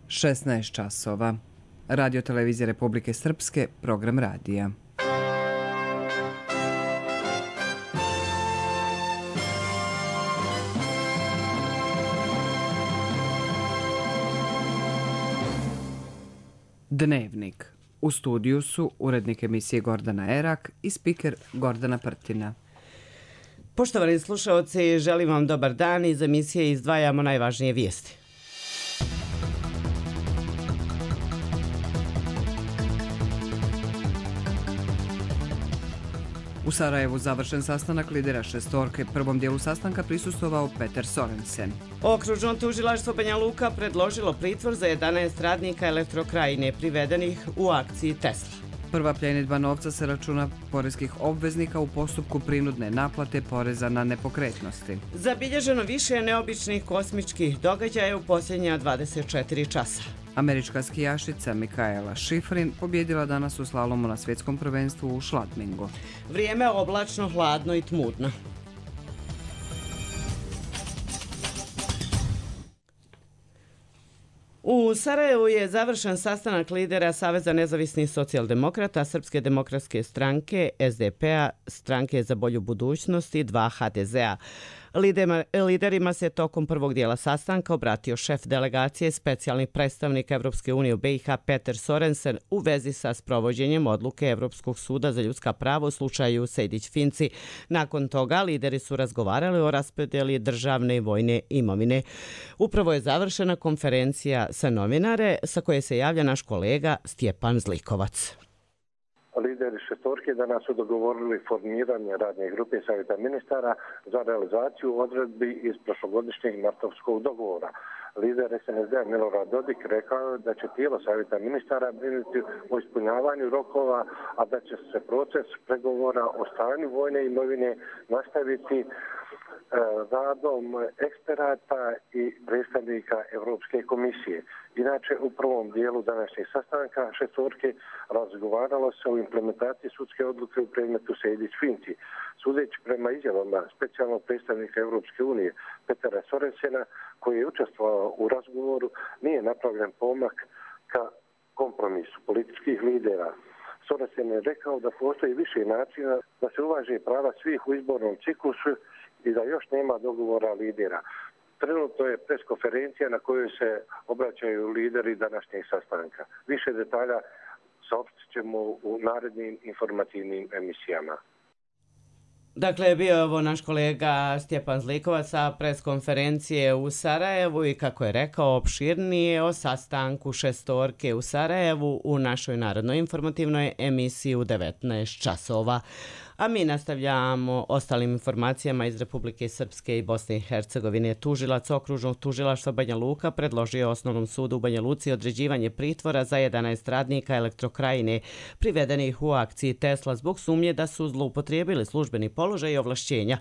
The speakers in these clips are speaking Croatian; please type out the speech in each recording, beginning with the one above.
16 časova. Radio televizije Republike Srpske, program radija. Dnevnik. U studiju su urednik emisije Gordana Erak i spiker Gordana Prtina. Poštovani slušaoci, želim vam dobar dan. Iz emisije izdvajamo najvažnije vijesti. U Sarajevu završen sastanak lidera šestorke. Prvom dijelu sastanka prisustvovao Peter Sorensen. Okružno tužilaštvo Banja Luka predložilo pritvor za 11 radnika Elektrokrajine privedenih u akciji Tesla. Prva pljenidba novca se računa poreskih obveznika u postupku prinudne naplate poreza na nepokretnosti. Zabilježeno više neobičnih kosmičkih događaja u posljednja 24 časa. Američka skijašica Mikaela Schifrin pobjedila danas u slalomu na svjetskom prvenstvu u Schladmingu. Vrijeme oblačno, hladno i tmurno. U Sarajevu je završen sastanak lidera Saveza nezavisnih socijaldemokrata, Srpske demokratske stranke, SDP-a, Stranke za bolju budućnost i 2 HDZ-a. Liderima se tokom prvog dijela sastanka obratio šef delegacije specijalni predstavnik Evropske unije u BiH Peter Sorensen u vezi sa sprovođenjem odluke Evropskog suda za ljudska prava u slučaju Sejdić-Finci. Nakon toga lideri su razgovarali o raspodjeli državne i vojne imovine. Upravo je završena konferencija sa novinare sa koje se javlja naš kolega Stjepan Zlikovac. Lideri šestorke danas su dogovorili formiranje radne grupe Savjeta ministara za realizaciju odredbi iz prošlogodišnjeg martovskog dogovora. Lider SNSD Milorad Dodik rekao je da će tijelo Savjeta ministara brinuti o ispunjavanju rokova, a da će se proces pregovora o stanju vojne imovine nastaviti radom eksperata i predstavnika Europske komisije. Inače, u prvom dijelu današnjeg sastanka šestorke razgovaralo se o implementaciji sudske odluke u predmetu Sejdić-Finci. Sudeći prema izjavama specijalnog predstavnika Europske unije Petera Sorensena, koji je učestvovao u razgovoru, nije napravljen pomak ka kompromisu političkih lidera. Sorensen je rekao da postoji više načina da se uvaže prava svih u izbornom ciklusu i da još nema dogovora lidera. Trenutno je preskonferencija na kojoj se obraćaju lideri današnjeg sastanka. Više detalja saopštit ćemo u narednim informativnim emisijama. Dakle, bio je ovo naš kolega Stjepan Zlikovac sa preskonferencije u Sarajevu i kako je rekao opširnije o sastanku šestorke u Sarajevu u našoj narodnoj informativnoj emisiji u 19 časova. A mi nastavljamo ostalim informacijama iz Republike Srpske i Bosne i Hercegovine. Tužilac okružnog tužilaštva Banja Luka predložio Osnovnom sudu u Banja Luci određivanje pritvora za 11 radnika Elektrokrajine privedenih u akciji Tesla zbog sumnje da su zloupotrijebili službeni položaj i ovlašćenja.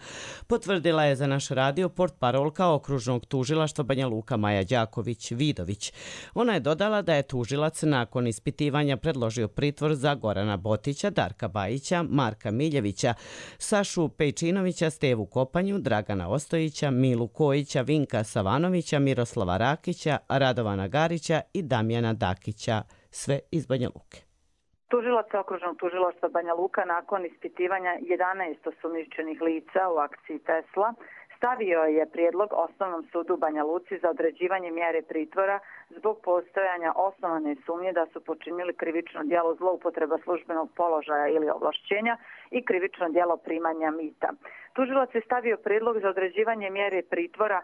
Potvrdila je za naš radio portparolka okružnog tužilaštva Banja Luka Maja Đaković-Vidović. Ona je dodala da je tužilac nakon ispitivanja predložio pritvor za Gorana Botića, Darka Bajića, Marka Miljevića, Sašu Pejčinovića, Stevu Kopanju, Dragana Ostojića, Milu Kojića, Vinka Savanovića, Miroslava Rakića, Radovana Garića i Damjana Dakića, sve iz Banja Luke. Tužilac okružnog tužilaštva Banja Luka nakon ispitivanja 11 osumnjičenih lica u akciji Tesla stavio je prijedlog Osnovnom sudu u Banja Luci za određivanje mjere pritvora zbog postojanja osnovane sumnje da su počinili krivično djelo zloupotreba službenog položaja ili ovlašćenja i krivično djelo primanja mita. Tužilac je stavio prijedlog za određivanje mjere pritvora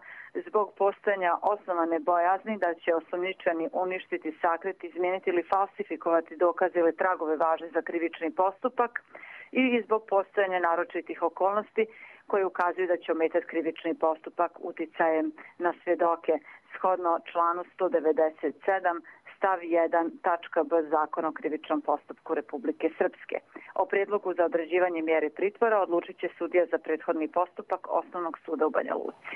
zbog postojanja osnovane bojazni da će osumnjičeni uništiti, sakriti, izmijeniti ili falsifikovati dokaze ili tragove važne za krivični postupak i zbog postojanja naročitih okolnosti koje ukazuju da će ometati krivični postupak uticajem na svjedoke. Shodno članu 197 stav 1 tačka b Zakona o krivičnom postupku Republike Srpske. O prijedlogu za određivanje mjere pritvora odlučit će sudija za prethodni postupak Osnovnog suda u Banja Luci.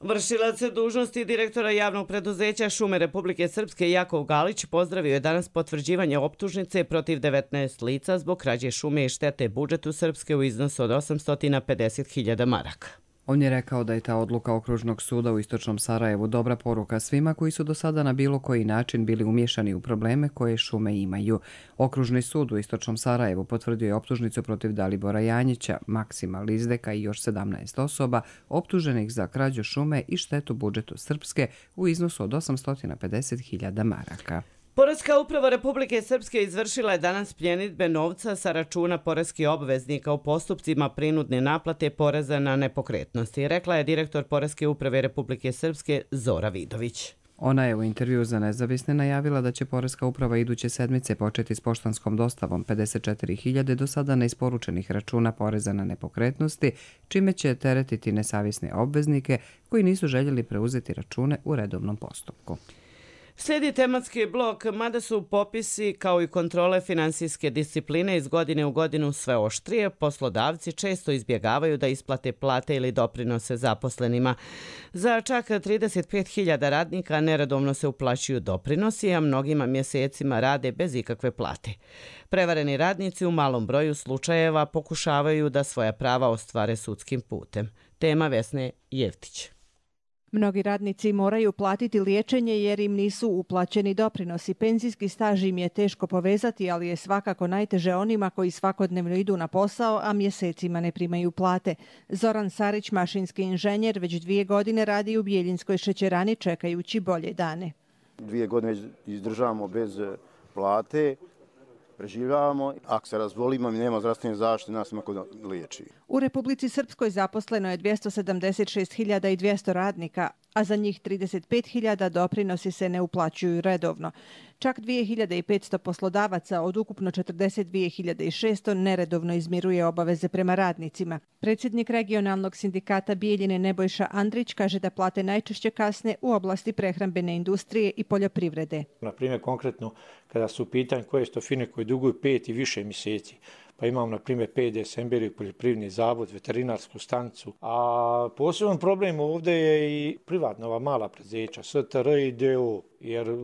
Vršilac dužnosti direktora javnog preduzeća Šume Republike Srpske Jakov Galić pozdravio je danas potvrđivanje optužnice protiv 19 lica zbog krađe šume i štete budžetu Srpske u iznosu od 850.000 maraka. On je rekao da je ta odluka Okružnog suda u Istočnom Sarajevu dobra poruka svima koji su do sada na bilo koji način bili umiješani u probleme koje šume imaju. Okružni sud u Istočnom Sarajevu potvrdio je optužnicu protiv Dalibora Janjića, Maksima Lizdeka i još 17 osoba optuženih za krađu šume i štetu budžetu Srpske u iznosu od 850.000 maraka. Poreska uprava Republike Srpske izvršila je danas pljenidbe novca sa računa poreskih obveznika u postupcima prinudne naplate poreza na nepokretnosti, rekla je direktor Poreske uprave Republike Srpske Zora Vidović. Ona je u intervju za Nezavisne najavila da će Poreska uprava iduće sedmice početi s poštanskom dostavom 54.000 do sada neisporučenih računa poreza na nepokretnosti, čime će teretiti nesavjesne obveznike koji nisu željeli preuzeti račune u redovnom postupku. Slijedi tematski blok, mada su popisi kao i kontrole finansijske discipline iz godine u godinu sve oštrije, poslodavci često izbjegavaju da isplate plate ili doprinose zaposlenima. Za čak 35.000 radnika neredovno se uplaćuju doprinosi, a mnogima mjesecima rade bez ikakve plate. Prevareni radnici u malom broju slučajeva pokušavaju da svoja prava ostvare sudskim putem. Tema Vesne Jevtić. Mnogi radnici moraju platiti liječenje jer im nisu uplaćeni doprinosi. Penzijski staž im je teško povezati, ali je svakako najteže onima koji svakodnevno idu na posao, a mjesecima ne primaju plate. Zoran Sarić, mašinski inženjer, već 2 godine radi u Bijeljinskoj šećerani čekajući bolje dane. 2 godine izdržavamo bez plate, preživljavamo. Ako se razbolimo i nema zdravstvene zaštite, nas neko liječi. U Republici Srpskoj zaposleno je 276.200 radnika, a za njih 35.000 doprinosi se ne uplaćuju redovno. Čak 2.500 poslodavaca od ukupno 42.600 neredovno izmiruje obaveze prema radnicima. Predsjednik regionalnog sindikata Bijeljine Nebojša Andrić kaže da plate najčešće kasne u oblasti prehrambene industrije i poljoprivrede. Na primjer, konkretno, kada su u pitanju koje su to firme koje duguju 5 i više mjeseci, pa imamo, na primjer, PDS, Emberiju, poljoprivredni zavod, veterinarsku stanicu. A poseban problem ovdje je i privatna ova mala preduzeća, STR i DO, jer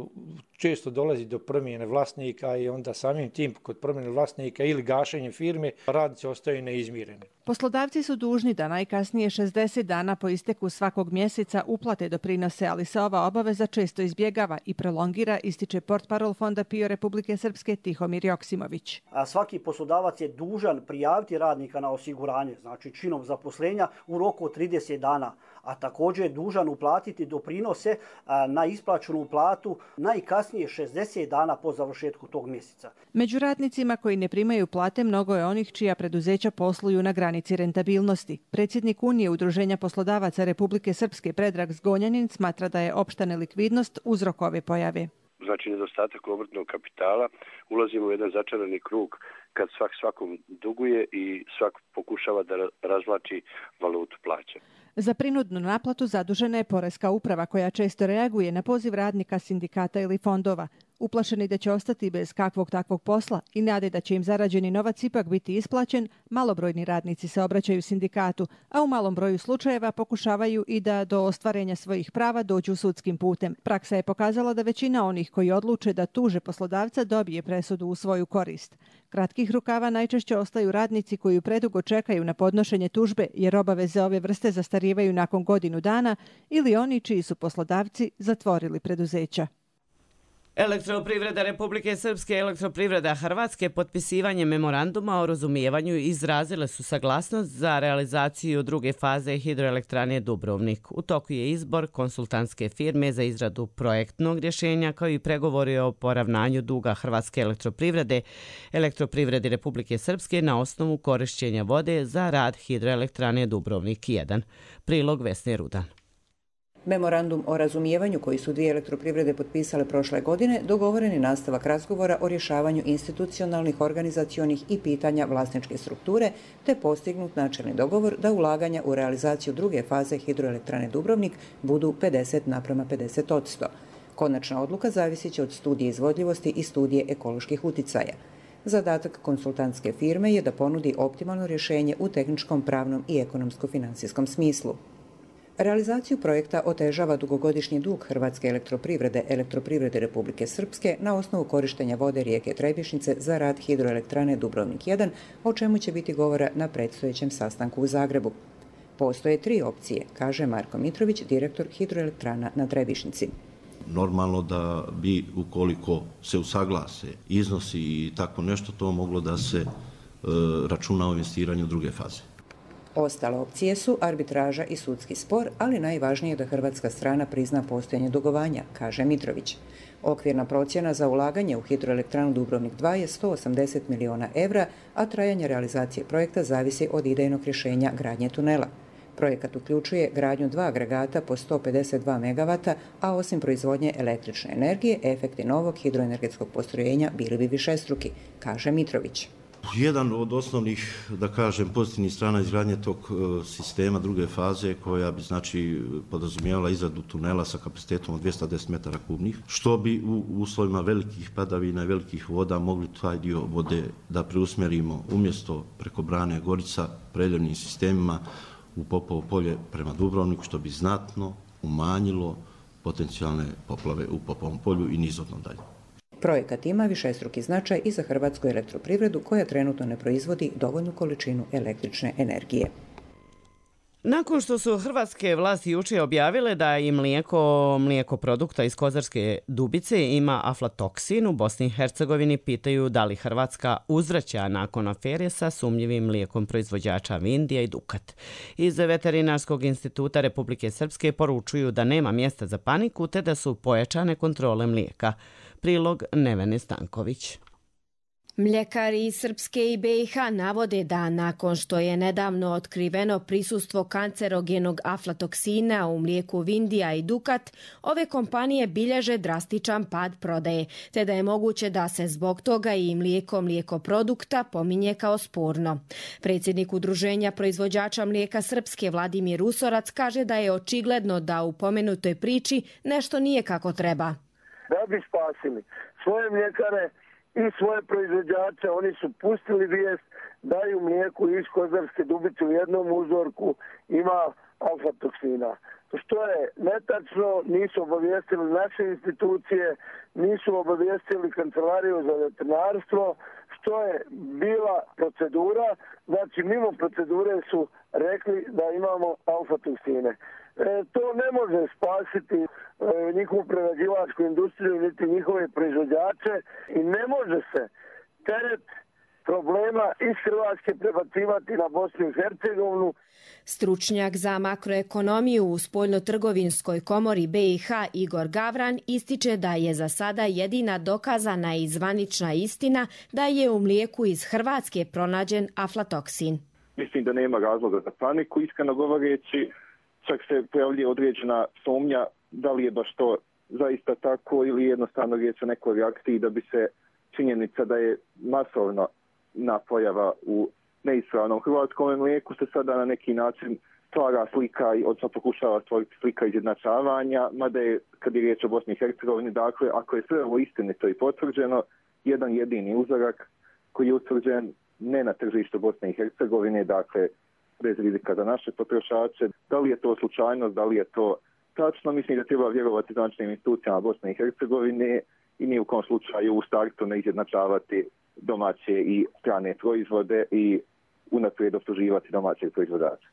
često dolazi do promjene vlasnika i onda samim tim kod promjene vlasnika ili gašenje firme radnici ostaju neizmireni. Poslodavci su dužni da najkasnije 60 dana po isteku svakog mjeseca uplate doprinose, ali se ova obaveza često izbjegava i prolongira, ističe portparol Fonda PIO Republike Srpske Tihomir Joksimović. Svaki poslodavac je dužan prijaviti radnika na osiguranje, znači činom zaposlenja u roku od 30 dana, a također je dužan uplatiti doprinose na isplaćenu platu najkasnije 60 dana po završetku tog mjeseca. Među radnicima koji ne primaju plate mnogo je onih čija preduzeća posluju na granici rentabilnosti. Predsjednik Unije Udruženja poslodavaca Republike Srpske Predrag Zgonjanin smatra da je opšta nelikvidnost uzrok ove pojave. Znači nedostatak obrtnog kapitala, ulazimo u jedan začarani krug kad svakom duguje i svak pokušava da razvlači valutu plaća. Za prinudnu naplatu zadužena je Poreska uprava koja često reaguje na poziv radnika, sindikata ili fondova. Uplašeni da će ostati bez kakvog takvog posla i nade da će im zarađeni novac ipak biti isplaćen, malobrojni radnici se obraćaju sindikatu, a u malom broju slučajeva pokušavaju i da do ostvarenja svojih prava dođu sudskim putem. Praksa je pokazala da većina onih koji odluče da tuže poslodavca dobije presudu u svoju korist. Kratkih rukava najčešće ostaju radnici koji predugo čekaju na podnošenje tužbe jer obaveze ove vrste zastarivaju nakon godinu dana ili oni čiji su poslodavci zatvorili preduzeća. Elektroprivreda Republike Srpske i Elektroprivreda Hrvatske potpisivanjem memoranduma o razumijevanju izrazile su saglasnost za realizaciju druge faze hidroelektrane Dubrovnik. U toku je izbor konsultantske firme za izradu projektnog rješenja kao i pregovori o poravnanju duga Hrvatske elektroprivrede, Elektroprivredi Republike Srpske na osnovu korišćenja vode za rad hidroelektrane Dubrovnik 1. Prilog Vesne Rudan. Memorandum o razumijevanju koji su 2 elektroprivrede potpisale prošle godine dogovoren je nastavak razgovora o rješavanju institucionalnih, organizacionih i pitanja vlasničke strukture, te postignut načelni dogovor da ulaganja u realizaciju druge faze hidroelektrane Dubrovnik budu 50:50%. Konačna odluka zavisit će od studije izvodljivosti i studije ekoloških uticaja. Zadatak konsultantske firme je da ponudi optimalno rješenje u tehničkom, pravnom i ekonomsko-financijskom smislu. Realizaciju projekta otežava dugogodišnji dug Hrvatske elektroprivrede, Elektroprivrede Republike Srpske na osnovu korištenja vode rijeke Trebišnice za rad hidroelektrane Dubrovnik 1, o čemu će biti govora na predstojećem sastanku u Zagrebu. Postoje 3 opcije, kaže Marko Mitrović, direktor hidroelektrana na Trebišnici. Normalno da bi, ukoliko se usaglase iznosi i tako nešto, to moglo da se računa o investiranju druge faze. Ostale opcije su arbitraža i sudski spor, ali najvažnije je da hrvatska strana prizna postojanje dugovanja, kaže Mitrović. Okvirna procjena za ulaganje u hidroelektranu Dubrovnik 2 je 180 miliona evra, a trajanje realizacije projekta zavisi od idejnog rješenja gradnje tunela. Projekat uključuje gradnju 2 agregata po 152 MW, a osim proizvodnje električne energije, efekti novog hidroenergetskog postrojenja bili bi višestruki, kaže Mitrović. Jedan od osnovnih, da kažem, pozitivnih strana izgradnje tog sistema druge faze, koja bi podrazumijevala izradu tunela sa kapacitetom od 210 metara kubnih, što bi u uslovima velikih padavina i velikih voda mogli taj dio vode da preusmjerimo umjesto preko brane Gorica preljevnim sistemima u Popovo polje prema Dubrovniku, što bi znatno umanjilo potencijalne poplave u Popovom polju i nizvodno dalje. Projekat ima višestruki značaj i za hrvatsku elektroprivredu koja trenutno ne proizvodi dovoljnu količinu električne energije. Nakon što su hrvatske vlasti jučer objavile da i mlijeko produkta iz Kozarske Dubice ima aflatoksin, u Bosni i Hercegovini pitaju da li Hrvatska uzvraća nakon afere sa sumnjivim mlijekom proizvođača Vindija i Dukat. Iz Veterinarskog instituta Republike Srpske poručuju da nema mjesta za paniku te da su pojačane kontrole mlijeka. Prilog Nevene Stanković. Mljekari iz Srpske i BiH navode da nakon što je nedavno otkriveno prisustvo kancerogenog aflatoksina u mlijeku Vindija i Dukat, ove kompanije bilježe drastičan pad prodaje, te da je moguće da se zbog toga i mlijeko produkta pominje kao sporno. Predsjednik Udruženja proizvođača mlijeka Srpske Vladimir Usorac kaže da je očigledno da u pomenutoj priči nešto nije kako treba. Da bi spasili svoje mljekare i svoje proizvođače, oni su pustili vijest da i u mlijeku iz Kozarske Dubice u jednom uzorku ima aflatoksina. Što je netačno, nisu obavijestili naše institucije, nisu obavijestili Kancelariju za veterinarstvo, što je bila procedura, znači mimo procedure su rekli da imamo aflatoksine. To ne može spasiti njihovu prerađivačku industriju niti njihove proizvođače i ne može se teret problema iz Hrvatske prebacivati na Bosnu i Hercegovinu. Stručnjak za makroekonomiju u Spoljnotrgovinskoj komori BiH Igor Gavran ističe da je za sada jedina dokazana i zvanična istina da je u mlijeku iz Hrvatske pronađen aflatoksin. Mislim da nema razloga za paniku, iskreno govoreći. Čak se pojavljuje određena sumnja da li je baš to zaista tako ili jednostavno riječ o nekoj reakciji da bi se činjenica da je masovna pojava u neispravnom hrvatskom mlijeku se sada na neki način stvara slika, odnosno pokušava stvoriti slika izjednačavanja, mada je, kad je riječ o Bosni i Hercegovini, dakle, ako je sve ovo istinito i potvrđeno, jedan jedini uzorak koji je utvrđen ne na tržištu Bosne i Hercegovine, dakle, bez rizika za naše potrošače. Da li je to slučajnost, da li je to tačno, mislim da treba vjerovati značajnim institucijama Bosne i Hercegovine i ni u kom slučaju u startu ne izjednačavati domaće i strane proizvode i unaprijed optuživati domaćeg proizvođača.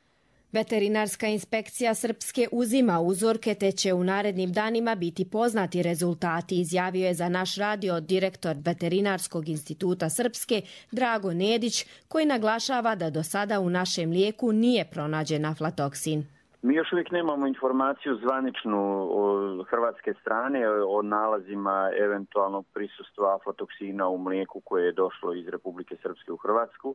Veterinarska inspekcija Srpske uzima uzorke te će u narednim danima biti poznati rezultati, izjavio je za naš radio direktor Veterinarskog instituta Srpske Drago Nedić, koji naglašava da do sada u našem mlijeku nije pronađen aflatoksin. Mi još uvijek nemamo informaciju zvaničnu od hrvatske strane o nalazima eventualnog prisustva aflatoksina u mlijeku koje je došlo iz Republike Srpske u Hrvatsku.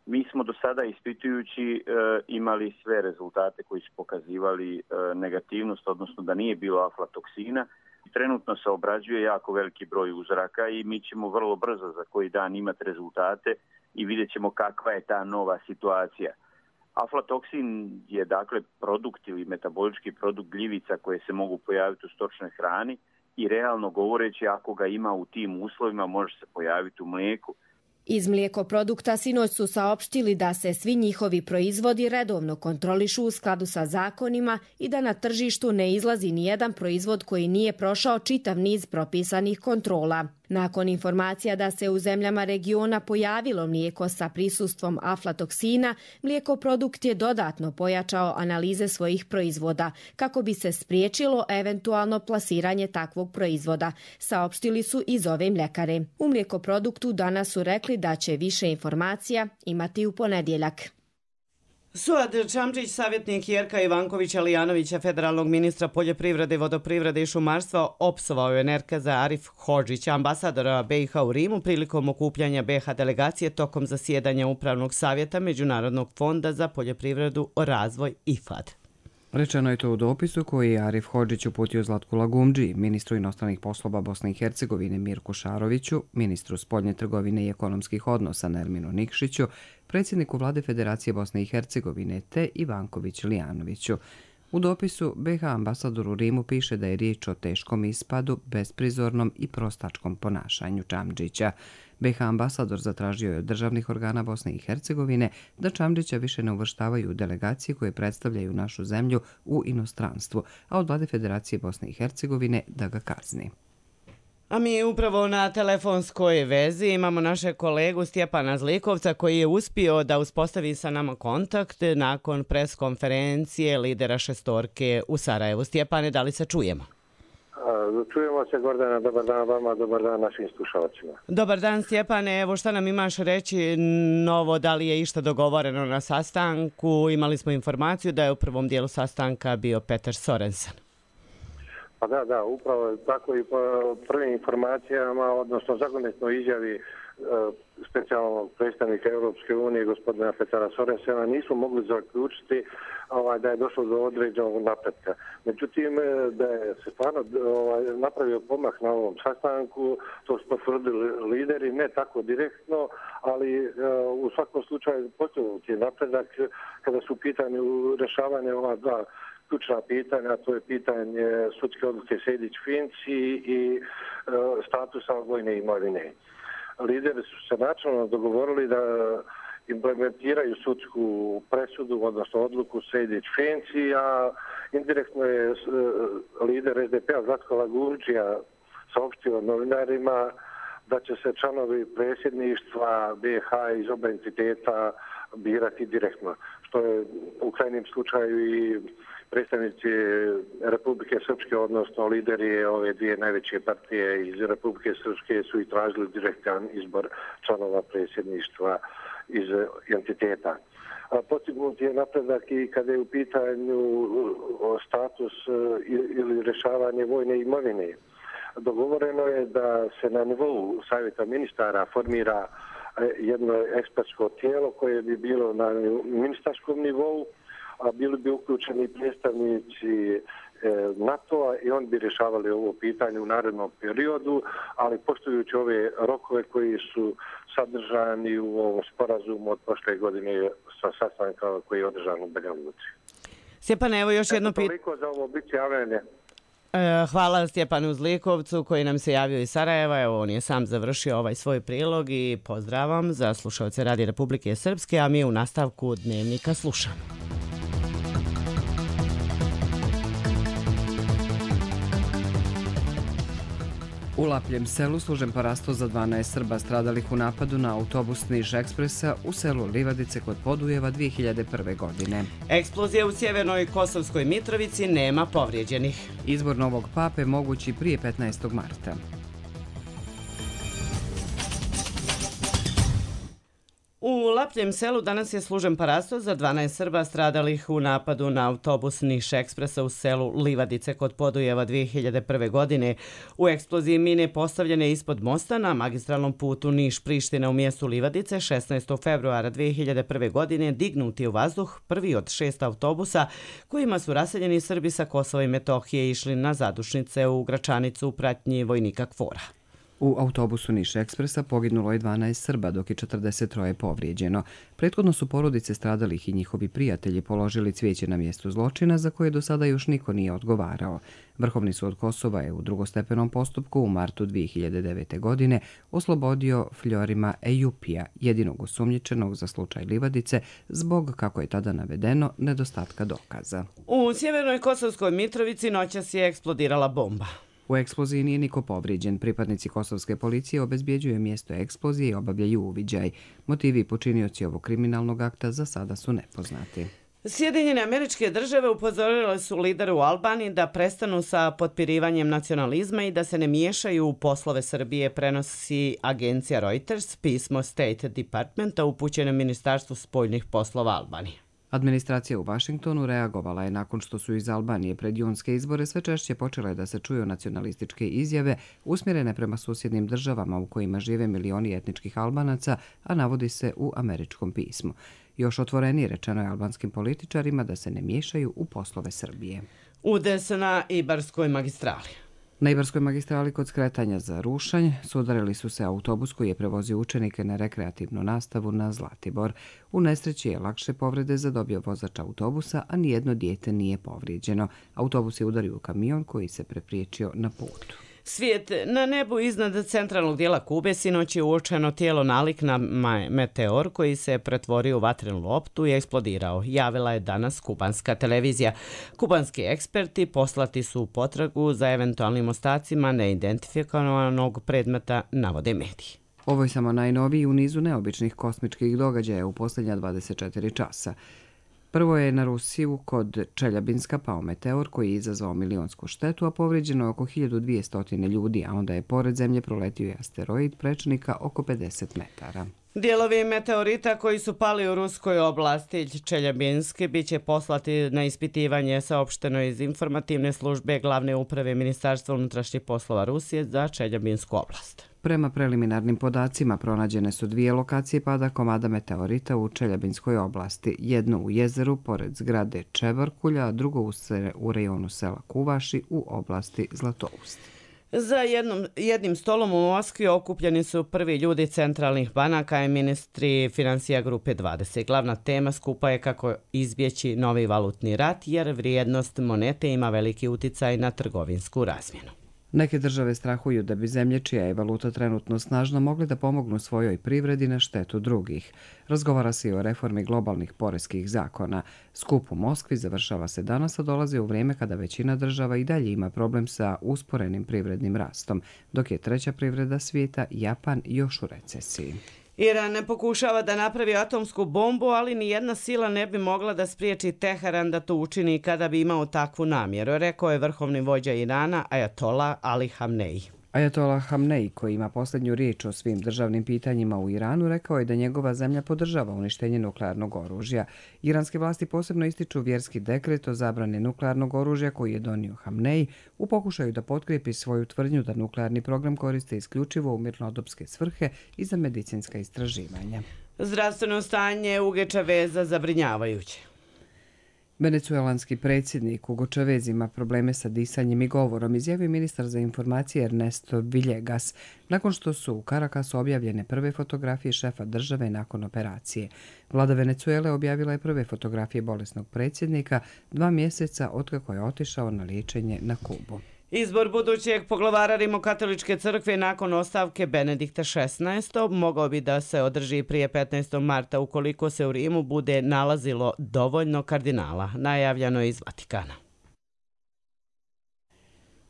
Mi smo do sada ispitujući imali sve rezultate koji su pokazivali negativnost, odnosno da nije bilo aflatoksina. Trenutno se obrađuje jako veliki broj uzoraka i mi ćemo vrlo brzo za koji dan imati rezultate i vidjet ćemo kakva je ta nova situacija. Aflatoksin je dakle produkt ili metabolički produkt gljivica koje se mogu pojaviti u stočnoj hrani i realno govoreći ako ga ima u tim uslovima može se pojaviti u mlijeku. Iz mlijekoprodukta sinoć su saopštili da se svi njihovi proizvodi redovno kontrolišu u skladu sa zakonima i da na tržištu ne izlazi nijedan proizvod koji nije prošao čitav niz propisanih kontrola. Nakon informacija da se u zemljama regiona pojavilo mlijeko sa prisustvom aflatoksina, Mlijekoprodukt je dodatno pojačao analize svojih proizvoda kako bi se spriječilo eventualno plasiranje takvog proizvoda, saopštili su iz ove mljekare. U Mlijekoproduktu danas su rekli da će više informacija imati u ponedjeljak. Suad Čamčić, savjetnik Jerka Ivankovića Lijanovića, federalnog ministra poljoprivrede, vodoprivrede i šumarstva, opsovao je Nerkeza Arif Hodžića, ambasadora BiH u Rimu, prilikom okupljanja BiH delegacije tokom zasjedanja Upravnog savjeta Međunarodnog fonda za poljoprivredu o razvoj IFAD. Rečeno je to u dopisu koji je Arif Hodžić uputio Zlatku Lagumdži, ministru inostranih poslova Bosne i Hercegovine Mirku Šaroviću, ministru spoljne trgovine i ekonomskih odnosa Nerminu Nikšiću, predsjedniku vlade Federacije Bosne i Hercegovine te Ivanković Lijanoviću. U dopisu BiH ambasador u Rimu piše da je riječ o teškom ispadu, besprizornom i prostačkom ponašanju Čamdžića. BiH ambasador zatražio je od državnih organa Bosne i Hercegovine da Čamdžića više ne uvrštavaju u delegacije koje predstavljaju našu zemlju u inostranstvu, a od vlade Federacije Bosne i Hercegovine da ga kazni. A mi upravo na telefonskoj vezi imamo naše kolegu Stjepana Zlikovca koji je uspio da uspostavi sa nama kontakt nakon pres konferencije lidera šestorke u Sarajevu. Stjepane, da li se čujemo? Čujemo se, Gordana, dobar dan vama, dobar dan našim slušalcima. Dobar dan, Stjepane, evo šta nam imaš reći novo, da li je išta dogovoreno na sastanku? Imali smo informaciju da je u prvom dijelu sastanka bio Peter Sorensen. Pa da, upravo tako i po prvim informacijama, odnosno zakonitnoj izjavi specijalnog predstavnika Europske unije, gospodina Petera Sorensena, nisu mogli zaključiti da je došlo do određenog napretka. Međutim, da je se stvarno napravio pomak na ovom sastanku, to su potvrdili lideri, ne tako direktno, ali u svakom slučaju postignut je napredak kada su u pitanju rješavanja ova dva ključna pitanja, to je pitanje sudske odluke Sejdić-Finci i statusa vojne imovine. Lideri su se načelno dogovorili da implementiraju sudsku presudu, odnosno odluku Sejdić-Finci, a indirektno je lider SDP-a Zlatko Lagumdžija saopštio novinarima da će se članovi predsjedništva BiH iz oba entiteta birati direktno, što je u krajnjem slučaju i predstavnici Republike Srpske, odnosno lideri ove dvije najveće partije iz Republike Srpske su i tražili direktan izbor članova predsjedništva iz entiteta. Postignut je napredak i kada je u pitanju status ili rješavanje vojne imovine. Dogovoreno je da se na nivou Savjeta ministara formira jedno ekspertsko tijelo koje bi bilo na ministarskom nivou, a bili bi uključeni predstavnici NATO-a i oni bi rješavali ovo pitanje u narednom periodu, ali poštujući ove rokove koji su sadržani u ovom sporazumu od prošle godine sa sastanka koji je održan u Banja Luci. Stjepane, evo još jedno pitanje. Toliko za ovo biti javljanje. Hvala Stjepanu Zlikovcu koji nam se javio iz Sarajeva. Evo, on je sam završio ovaj svoj prilog i pozdravam za slušalce Radija Republike Srpske, a mi u nastavku Dnevnika slušamo. U Lapljem selu služen parasto za 12 Srba stradalih u napadu na autobus Niš Ekspresa u selu Livadice kod Podujeva 2001. godine. Eksplozija u sjevernoj Kosovskoj Mitrovici, nema povrijeđenih. Izbor novog pape mogući prije 15. marta. U Lapljem selu danas je služen parasto za 12 Srba stradalih u napadu na autobus Niš Ekspresa u selu Livadice kod Podujeva 2001. godine. U eksploziji mine postavljene ispod mosta na magistralnom putu Niš-Priština u mjestu Livadice 16. februara 2001. godine dignuti u vazduh prvi od 6 autobusa kojima su raseljeni Srbi sa Kosova i Metohije išli na zadušnice u Gračanicu u pratnji vojnika Kvora. U autobusu Niš Ekspresa poginulo je 12 Srba, dok je 43 povrijeđeno. Prethodno su porodice stradalih i njihovi prijatelji položili cvijeće na mjestu zločina, za koje do sada još niko nije odgovarao. Vrhovni sud Kosova je u drugostepenom postupku u martu 2009. godine oslobodio Fljorima Ejupija, jedinog osumnjičenog za slučaj Livadice, zbog, kako je tada navedeno, nedostatka dokaza. U sjevernoj Kosovskoj Mitrovici noćas je eksplodirala bomba. U U eksploziji nije niko povrijeđen. Pripadnici kosovske policije obezbjeđuju mjesto eksplozije i obavljaju uviđaj. Motivi i počinioci ovog kriminalnog akta za sada su nepoznati. Sjedinjene Američke Države upozorile su lidere u Albaniji da prestanu sa potpirivanjem nacionalizma i da se ne miješaju u poslove Srbije, prenosi agencija Reuters, pismo State Departmenta upućeno Ministarstvu spoljnih poslova Albanije. Administracija u Vašingtonu reagovala je nakon što su iz Albanije pred junske izbore sve češće počele da se čuju nacionalističke izjave usmjerene prema susjednim državama u kojima žive milioni etničkih Albanaca, a navodi se u američkom pismu. Još otvorenije rečeno je albanskim političarima da se ne miješaju u poslove Srbije. Udes na Ibarskoj magistrali. Na Ibarskoj magistrali kod skretanja za Rušanj sudarili su se autobus koji je prevozio učenike na rekreativnu nastavu na Zlatibor. U nesreći je lakše povrede zadobio vozač autobusa, a nijedno dijete nije povrijeđeno. Autobus je udario u kamion koji se prepriječio na putu. Svijet na nebu iznad centralnog dijela Kube sinoć je uočeno tijelo nalik na meteor koji se pretvorio u vatrenu loptu i eksplodirao, javila je danas kubanska televizija. Kubanski eksperti poslati su u potragu za eventualnim ostacima neidentifikovanog predmeta, navode mediji. Ovo je samo najnoviji u nizu neobičnih kosmičkih događaja u posljednja 24 časa. Prvo je na Rusiju kod Čeljabinska pao meteor koji je izazvao milionsku štetu, a povrijeđeno je oko 1200 ljudi, a onda je pored zemlje proletio i asteroid prečnika oko 50 metara. Dijelovi meteorita koji su pali u ruskoj oblasti Čeljabinske bit će poslati na ispitivanje, saopšteno iz informativne službe glavne uprave Ministarstva unutrašnjih poslova Rusije za Čeljabinsku oblast. Prema preliminarnim podacima pronađene su 2 lokacije pada komada meteorita u Čeljabinskoj oblasti, jednu u jezeru pored zgrade Čebarkulja, a drugo u rejonu sela Kuvaši u oblasti Zlatoust. Za jednim stolom u Moskvi okupljeni su prvi ljudi centralnih banaka i ministri financija grupe 20. Glavna tema skupa je kako izbjeći novi valutni rat, jer vrijednost monete ima veliki uticaj na trgovinsku razmjenu. Neke države strahuju da bi zemlje čija je valuta trenutno snažna mogli da pomognu svojoj privredi na štetu drugih. Razgovara se i o reformi globalnih poreskih zakona. Skup u Moskvi završava se danas, a dolazi u vrijeme kada većina država i dalje ima problem sa usporenim privrednim rastom, dok je treća privreda svijeta, Japan, još u recesiji. Iran ne pokušava da napravi atomsku bombu, ali ni jedna sila ne bi mogla da spriječi Teheran da to učini kada bi imao takvu namjeru, rekao je vrhovni vođa Irana Ajatola Ali Hamnej. Ajatola Hamnej, koji ima posljednju riječ o svim državnim pitanjima u Iranu, rekao je da njegova zemlja podržava uništenje nuklearnog oružja. Iranske vlasti posebno ističu vjerski dekret o zabrani nuklearnog oružja koji je donio Hamnej u pokušaju da potkrijepi svoju tvrdnju da nuklearni program koriste isključivo u mirnodopske svrhe i za medicinska istraživanja. Zdravstveno stanje Hugo Chaveza zabrinjavajuće. Venecuelanski predsjednik Hugo Chavez ima probleme sa disanjem i govorom, izjavio ministar za informacije Ernesto Villegas, nakon što su u Caracasu objavljene prve fotografije šefa države nakon operacije. Vlada Venecuele objavila je prve fotografije bolesnog predsjednika 2 mjeseca otkako je otišao na liječenje na Kubu. Izbor budućeg poglavara Rimokatoličke crkve nakon ostavke Benedikta XVI. Mogao bi da se održi prije 15. marta ukoliko se u Rimu bude nalazilo dovoljno kardinala, najavljeno je iz Vatikana.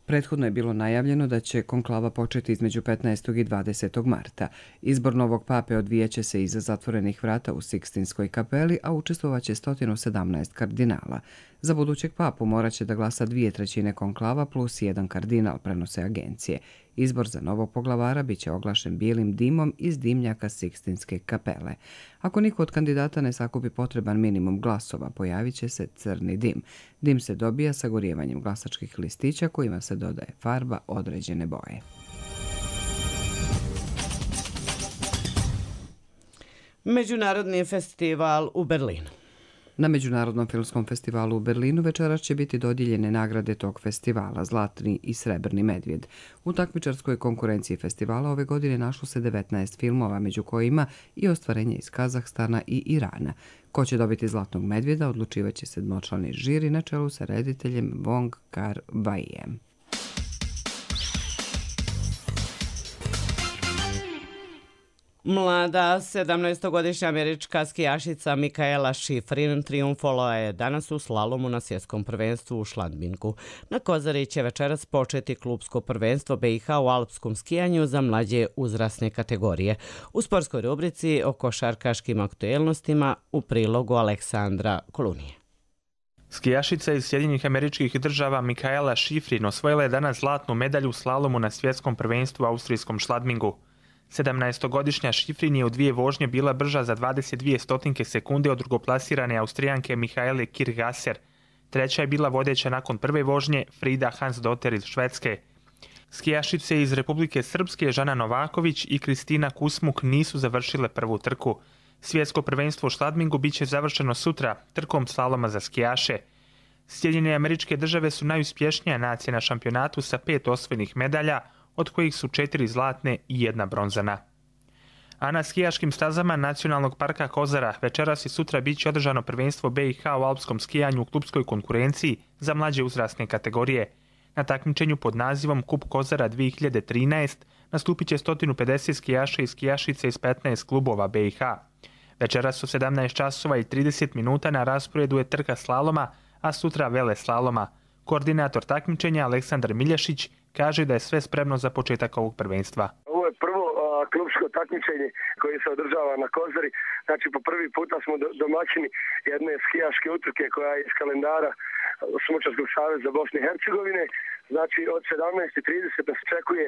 Prethodno je bilo najavljeno da će konklava početi između 15. i 20. marta. Izbor novog pape odvijaće se iza zatvorenih vrata u Sikstinskoj kapeli, a učestvovaće 117 kardinala. Za budućeg papu morat će da glasa 2/3 konklava plus 1 kardinal, prenose agencije. Izbor za novog poglavara biće oglašen bijelim dimom iz dimnjaka Sikstinske kapele. Ako niko od kandidata ne sakupi potreban minimum glasova, pojavit će se crni dim. Dim se dobija sagorijevanjem glasačkih listića kojima se dodaje farba određene boje. Međunarodni festival u Berlinu. Na Međunarodnom filmskom festivalu u Berlinu večeras će biti dodijeljene nagrade tog festivala, Zlatni i Srebrni medvjed. U takmičarskoj konkurenciji festivala ove godine našlo se 19 filmova, među kojima i ostvarenje iz Kazahstana i Irana. Ko će dobiti Zlatnog medvjeda odlučivaće sedmočlani žiri na čelu sa rediteljem Wong Kar-waijem. Mlada 17-godišnja američka skijašica Mikaela Šifrin trijumfovala je danas u slalomu na svjetskom prvenstvu u Šladminku. Na Kozari će večeras početi klubsko prvenstvo BiH u alpskom skijanju za mlađe uzrasne kategorije. U sportskoj rubrici o košarkaškim aktuelnostima u prilogu Aleksandra Kolunije. Skijašica iz Sjedinjenih Američkih Država Mikaela Šifrin osvojila je danas zlatnu medalju u slalomu na svjetskom prvenstvu u austrijskom Šladmingu. 17-godišnja Šifrin je u 2 vožnje bila brža za 22 sekunde od drugoplasirane Austrijanke Mihaele Kirchgasser. Treća je bila vodeća nakon prve vožnje Frida Hansdotter iz Švedske. Skijašice iz Republike Srpske Žana Novaković i Kristina Kusmuk nisu završile prvu trku. Svjetsko prvenstvo u Šladmingu bit će završeno sutra trkom slaloma za skijaše. Sjedinjene Američke Države su najuspješnija nacija na šampionatu sa 5 osvojenih medalja, od kojih su 4 zlatne i 1 bronzana. A na skijaškim stazama Nacionalnog parka Kozara večeras i sutra bit će održano prvenstvo BiH u alpskom skijanju u klubskoj konkurenciji za mlađe uzrasne kategorije. Na takmičenju pod nazivom Kup Kozara 2013 nastupit će 150 skijaša i skijašice iz 15 klubova BiH. Večeras u 17 časova i 30 minuta na rasporedu je trka slaloma, a sutra vele slaloma. Koordinator takmičenja Aleksandar Milješić kaže da je sve spremno za početak ovog prvenstva. Ovo je prvo klubsko takmičenje koje se održava na Kozari. Znači po prvi puta smo domaćini jedne skijaške utrke koja je iz kalendara Smučarskog saveza Bosne i Hercegovine. Znači od 17:30 nas očekuje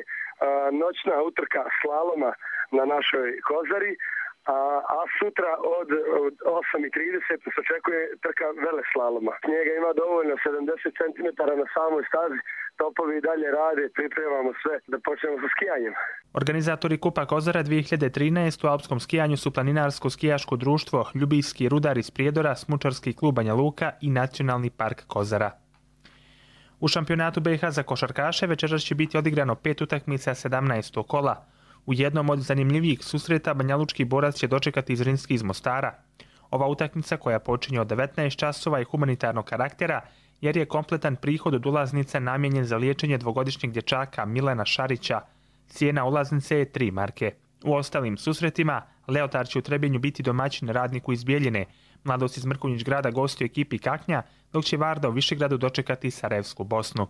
noćna utrka slaloma na našoj Kozari. A sutra od 8:30 se očekuje trka veleslaloma. Snijega ima dovoljno 70 cm na samoj stazi, topovi i dalje rade, pripremamo sve da počnemo sa skijanjem. Organizatori Kupa Kozara 2013 u alpskom skijanju su Planinarsko skijaško društvo, Ljubijski rudar iz Prijedora, Smučarski klub Banja Luka i Nacionalni park Kozara. U šampionatu BiH za košarkaše večeras će biti odigrano 5 utakmica 17. kola. U jednom od zanimljivijih susreta banjalučki borac će dočekati Zrinski iz Mostara. Ova utakmica koja počinje od 19 časova je humanitarnog karaktera jer je kompletan prihod od ulaznica namijenjen za liječenje dvogodišnjeg dječaka Milana Šarića. Cijena ulaznice je 3 marke. U ostalim susretima Leotar će u Trebinju biti domaćin Radniku iz Bijeljine. Mladost iz Mrkonjić grada gostuje ekipi Kaknja, dok će Varda u Višegradu dočekati Sarajevsku Bosnu.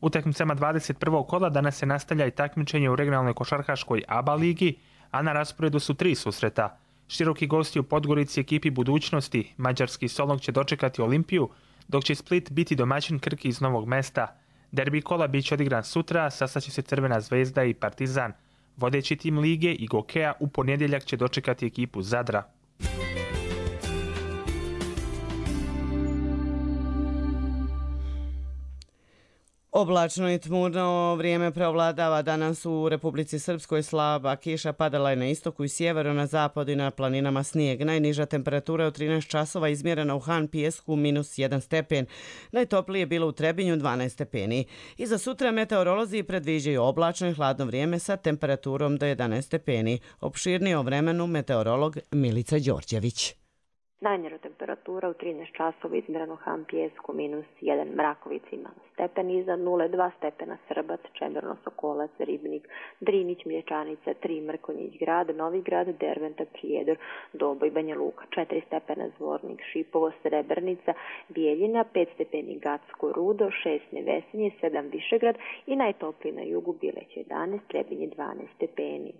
U utakmicama 21. kola danas se nastavlja i takmičenje u regionalnoj košarkaškoj ABA ligi, a na rasporedu su 3 susreta. Široki gosti u Podgorici ekipi Budućnosti, mađarski Solong će dočekati Olimpiju, dok će Split biti domaćin Krki iz Novog Mesta. Derbi kola bit će odigran sutra, sastaće se Crvena zvezda i Partizan. Vodeći tim lige i Gokeja u ponedjeljak će dočekati ekipu Zadra. Oblačno i tmurno vrijeme preovladava danas u Republici Srpskoj, slaba kiša padala je na istoku i sjeveru, na zapadu i na planinama snijeg. Najniža temperatura od 13 časova izmjerena u Han Pijesku -1 stepen. Najtoplije je bilo u Trebinju 12 stepeni. I za sutra meteorolozi predviđaju oblačno i hladno vrijeme sa temperaturom do 11 stepeni. Opširnije o vremenu meteorolog Milica Đorđević. Najniža temperatura u 13 časova izmjereno u Han Pijesku -1, Mrakovica ima stepen iznad 0,2 stepena Srbac, Čemerno, Sokolac, Ribnik, Drinić, Mlječanica, 3 Mrkonjić grad, Novi grad, Derventa, Prijedor, Doboj, Banja Luka, 4 stepena Zvornik, Šipovo, Srebrnica, Bijeljina, 5 stepeni Gacko, Rudo, 6 Nevesinje, 7 Višegrad i najtopliji na jugu Bileć 11, Trebinje 12 stepeni.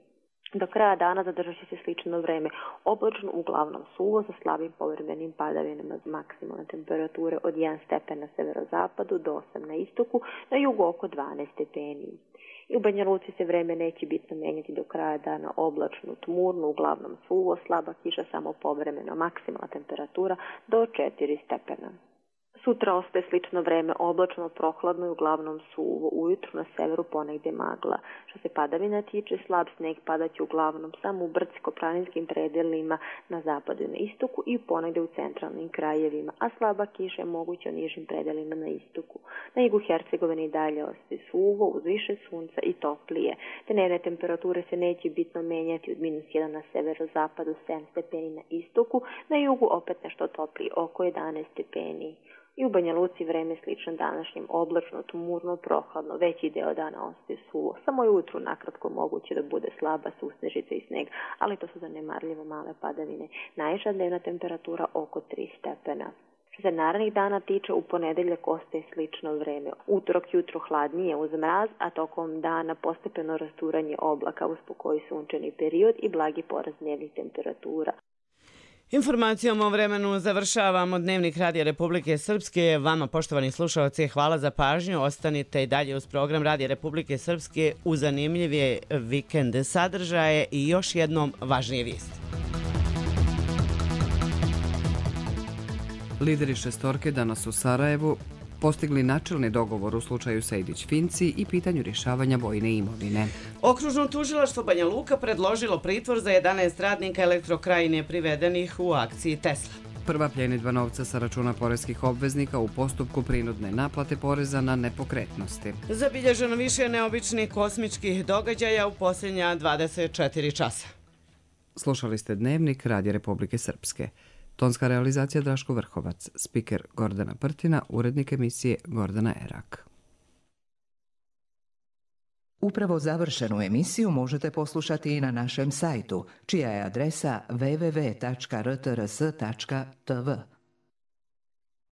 Do kraja dana zadržat će se slično vreme, oblačno uglavnom suvo sa slabim povremenim padavinama, maksimalne temperature od 1 stepen na severozapadu do 8 na istoku, na jugu oko 12 stepeni. I u Banja Luci se vreme neće bitno menjati do kraja dana, oblačno, tmurno, uglavnom suvo, slaba kiša samo povremeno, maksimalna temperatura do 4 stepena. Sutra ostaje slično vreme, oblačno, prohladno i uglavnom suvo, ujutru na severu ponegdje magla. Što se padavina tiče, slab sneg padaće uglavnom samo u brdsko-planinskim predelima na zapadu i na istoku i ponegdje u centralnim krajevima, a slaba kiša je moguća u nižim predelima na istoku. Na jugu Hercegovine i dalje ostaje suvo, uz više sunca i toplije. Dnevne temperature se neće bitno menjati od -1 na severozapadu, 7 stepeni na istoku, na jugu opet nešto toplije, oko 11 stepeni. I u Banja Luci vreme slično današnjem, oblačno, tmurno, prohladno, veći deo dana ostaje suvo. Samo je ujutru nakratko moguće da bude slaba susnežica i sneg, ali to su zanemarljivo male padavine. Najviša dnevna temperatura oko 3 stepena. Što se narednih dana tiče, u ponedeljak ostaje slično vreme. Utorak jutro hladnije uz mraz, a tokom dana postepeno rasturanje oblaka uz pokoji sunčani period i blagi porast dnevnih temperatura. Informacijom o vremenu završavamo Dnevnik Radija Republike Srpske. Vama, poštovani slušalci, hvala za pažnju. Ostanite i dalje uz program Radija Republike Srpske u zanimljivije vikend sadržaje i još jednom važnije vijesti. Lideri šestorke danas u Sarajevu postigli načelni dogovor u slučaju Sejdić-Finci i pitanju rješavanja vojne imovine. Okružno tužilaštvo Banja Luka predložilo pritvor za 11 radnika Elektrokrajine privedenih u akciji Tesla. Prva pljenidba novca sa računa poreskih obveznika u postupku prinudne naplate poreza na nepokretnosti. Zabilježeno više neobičnih kosmičkih događaja u posljednja 24 časa. Slušali ste Dnevnik Radija Republike Srpske. Tonska realizacija Draško Vrhovac, spiker Gordana Prtina, urednik emisije Gordana Erak. Upravo završenu emisiju možete poslušati i na našem sajtu, čija je adresa www.rtrs.tv.